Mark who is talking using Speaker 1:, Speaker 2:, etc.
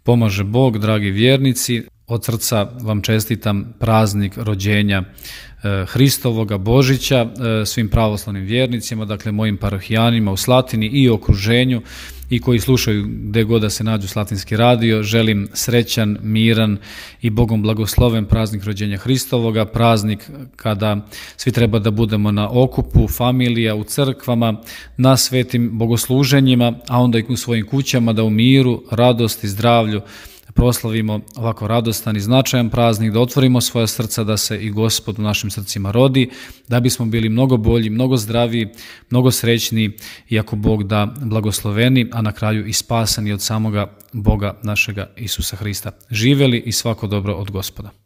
Speaker 1: Pomaže Bog, dragi vjernici. Od srca vam čestitam praznik rođenja Hristovoga, Božića, svim pravoslavnim vjernicima, dakle mojim parohijanima u Slatini i okruženju i koji slušaju gdje god da se nađu Slatinski radio. Želim srećan, miran i Bogom blagosloven praznik rođenja Hristovoga, praznik kada svi treba da budemo na okupu, familija, u crkvama, na svetim bogosluženjima, a onda i u svojim kućama da u miru, radosti, zdravlju proslavimo ovako radostan i značajan praznik, da otvorimo svoja srca, da se i Gospod u našim srcima rodi, da bismo bili mnogo bolji, mnogo zdraviji, mnogo srećniji i ako Bog da blagosloveni, a na kraju i spasani od samoga Boga našega Isusa Hrista. Živjeli i svako dobro od Gospoda.